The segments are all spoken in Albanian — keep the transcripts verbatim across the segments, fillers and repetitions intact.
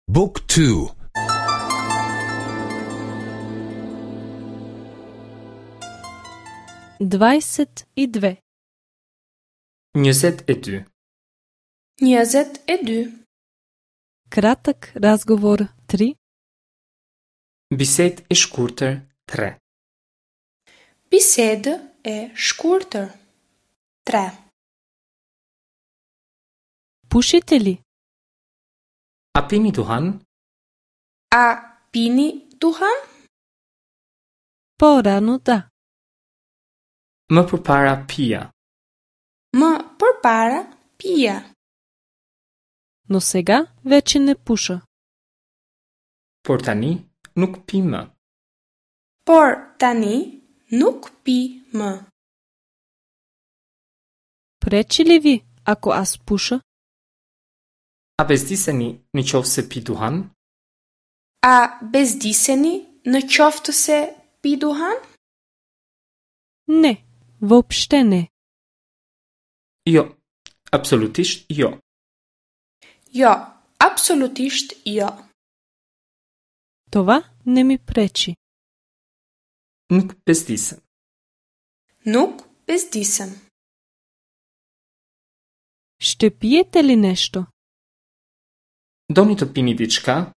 Book two. Двайсет и две. Njëzet e dy. Njëzet e dy. Kratak razgovor tri. Bisedë e shkurtër tre. Bisedë e shkurtër tre. Pushite li? A pini duhan? A pini duhan? Porano da. Më përpara pija. Më përpara pija. Но сега вече не пуша. Por tani nuk pi më. Por tani nuk pi më. Пречи ли ви ако аз пуша? A bezdiseni në qoftë se pi duhan? A bezdiseni në qoftë se pi duhan? Не, въобще не. Jo, absolutisht jo. Jo, absolutisht jo. Това не ми пречи. Nuk bezdisem. Nuk bezdisem. Ще пиете ли нещо? Doni të pini diçka?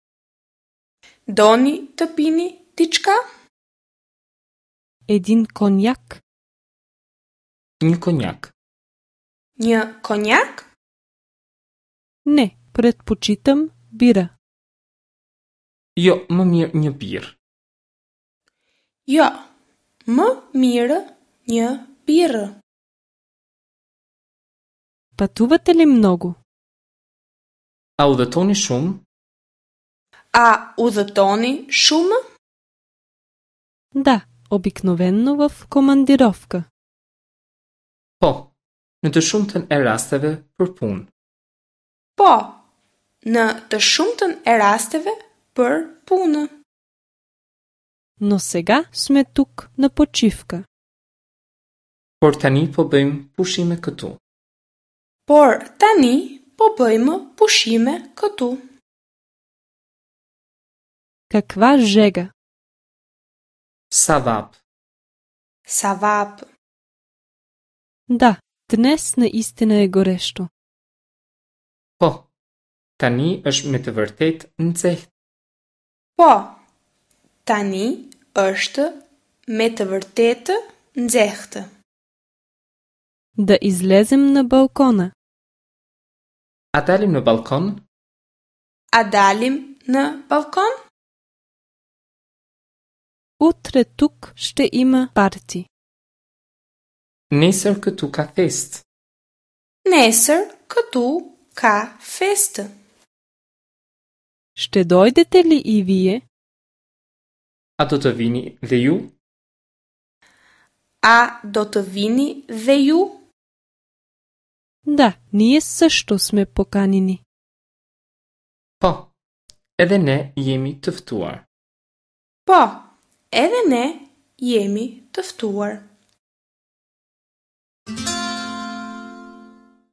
Doni të pini diçka? Един конjak? Një konjak. Një konjak? Не, предпочитам бира. Jo, më mirë një birrë. Jo, më mirë një birrë. Пътувате ли много? A udhëtoni shumë? A udhëtoni shumë? Да, обикновено в командировка. Po, në të shumtën e rasteve për punë. Po, në të shumtën e rasteve për punë. Но сега сме тук на почивка. Por tani po bëjmë pushime këtu. Por tani po bëjmë pushime këtu. Каква жега! Sa vap. Sa vap. Да, днес наистина е горещо. Po, tani është me të vërtetë nxehtë. Po, tani është me të vërtetë nxehtë. Да излезем на балкона. A dalim në balkon? A dalim në balkon? Утре тук ще има парти. Nesër këtu ka festë. Nesër këtu ka festë. Ще дойдете ли и вие? A do të vini dhe ju? A do të vini dhe ju? Да, ние също сме поканени. Po, edhe ne jemi të ftuar. Po, edhe ne jemi të ftuar.